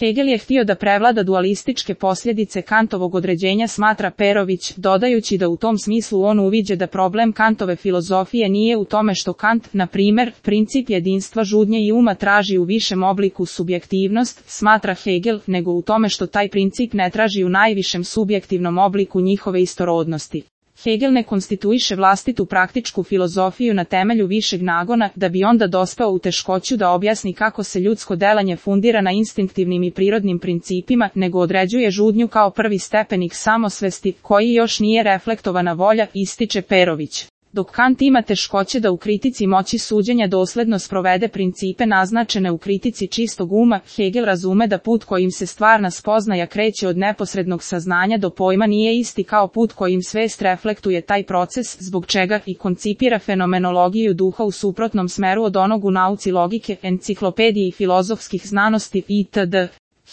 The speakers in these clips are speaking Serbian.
Hegel je htio da prevlada dualističke posljedice Kantovog određenja, smatra Perović, dodajući da u tom smislu on uviđa da problem Kantove filozofije nije u tome što Kant, na primjer, princip jedinstva žudnje i uma traži u višem obliku subjektivnost, smatra Hegel, nego u tome što taj princip ne traži u najvišem subjektivnom obliku njihove istorodnosti. Hegel ne konstituiše vlastitu praktičku filozofiju na temelju višeg nagona, da bi onda dospeo u teškoću da objasni kako se ljudsko delanje fundira na instinktivnim i prirodnim principima, nego određuje žudnju kao prvi stepenik samosvesti, koji još nije reflektovana volja, ističe Perović. Dok Kant ima teškoće da u kritici moći suđenja dosledno sprovede principe naznačene u kritici čistog uma, Hegel razume da put kojim se stvarna spoznaja kreće od neposrednog saznanja do pojma nije isti kao put kojim svest reflektuje taj proces, zbog čega i koncipira fenomenologiju duha u suprotnom smeru od onog u nauci logike, enciklopediji filozofskih znanosti itd.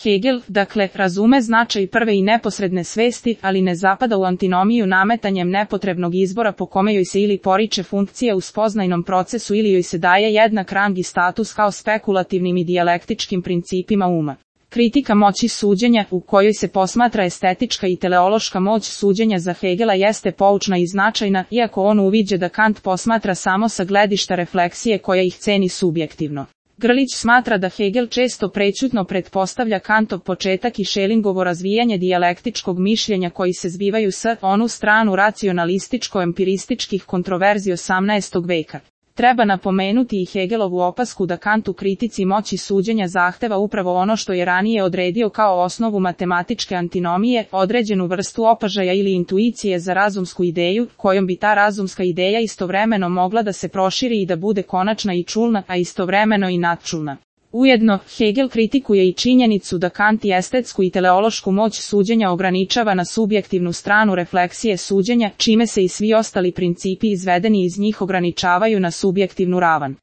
Hegel, dakle, razume značaj prve i neposredne svesti, ali ne zapada u antinomiju nametanjem nepotrebnog izbora po kome joj se ili poriče funkcija u spoznajnom procesu ili joj se daje jednak rang i status kao spekulativnim i dijalektičkim principima uma. Kritika moći suđenja, u kojoj se posmatra estetička i teleološka moć suđenja, za Hegela jeste poučna i značajna, iako on uviđa da Kant posmatra samo sa gledišta refleksije koja ih ceni subjektivno. Grlić smatra da Hegel često prećutno pretpostavlja Kantov početak i Schellingovo razvijanje dijalektičkog mišljenja koji se zbivaju s onu stranu racionalističko-empirističkih kontroverzi 18. veka. Treba napomenuti i Hegelovu opasku da Kant u kritici moći suđenja zahteva upravo ono što je ranije odredio kao osnovu matematičke antinomije, određenu vrstu opažaja ili intuicije za razumsku ideju, kojom bi ta razumska ideja istovremeno mogla da se proširi i da bude konačna i čulna, a istovremeno i nadčulna. Ujedno, Hegel kritikuje i činjenicu da Kant i estetsku i teleološku moć suđenja ograničava na subjektivnu stranu refleksije suđenja, čime se i svi ostali principi izvedeni iz njih ograničavaju na subjektivnu ravan.